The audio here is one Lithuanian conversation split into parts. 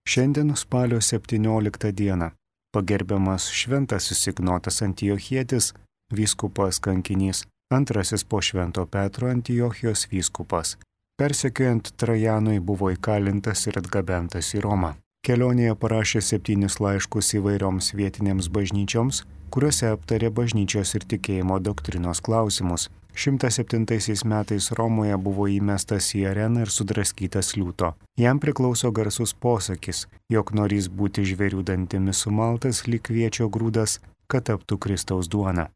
Šiandien spalio 17 dieną pagerbiamas šventasis Ignotas Antiochietis, vyskupas kankinys, antrasis po Švento Petro Antiochijos vyskupas. Persekiojant Trajanui buvo įkalintas ir atgabentas į Romą. Kelionėje parašė 7 laiškus įvairioms vietinėms bažnyčioms, kuriuose aptarė bažnyčios ir tikėjimo doktrinos klausimus. 107 metais Romoje buvo įmestas į areną ir sudraskytas liūto. Jam priklauso garsus posakis, jog norys būti žvėrių dantimis sumaltas lyg kviečio grūdas, kad taptų Kristaus duona.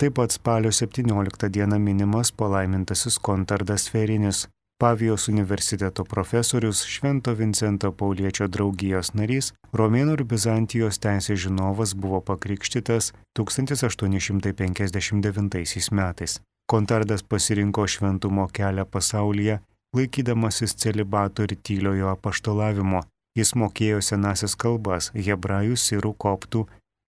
Taip pat spalio 17 dieną minimas palaimintasis Kontardas Ferinis, Pavijos universiteto profesorius, Švento Vincento Pauliečio draugijos narys, Romėnų ir Bizantijos teisės žinovas, buvo pakrikštytas 1859 metais. Kontardas pasirinko šventumo kelią pasaulyje, laikydamasis celibato ir tyliojo apaštalavimo. Jis mokėjo senąsias kalbas, hebrajų, sirų, koptų,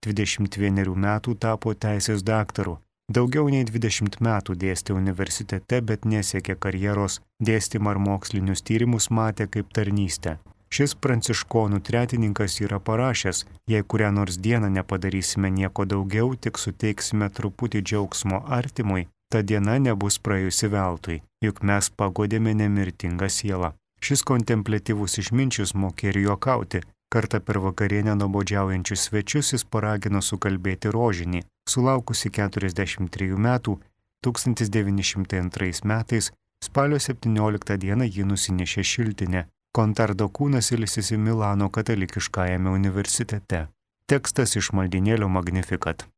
21 metų tapo teisės daktaru. Daugiau nei 20 metų dėstė universitete, bet nesiekė karjeros, dėstymą ar mokslinius tyrimus matė kaip tarnystę. Šis pranciškonų tretininkas yra parašęs, jei kurią nors dieną nepadarysime nieko daugiau, tik suteiksime truputį džiaugsmo artimui, ta diena nebus praėjusi veltui, juk mes pagodėme nemirtingą sielą. Šis kontempliatyvus išminčius mokė ir juokauti. Kartą per vakarienę nuobodžiaujančius svečius jis paragino sukalbėti rožinį. Sulaukusi 43 metų, 1902 metais, spalio 17 dieną jį nusinešė šiltinė. Kontardo kūnas ilsisi Milano katalikiškajame universitete. Tekstas iš maldynėlio Magnificat.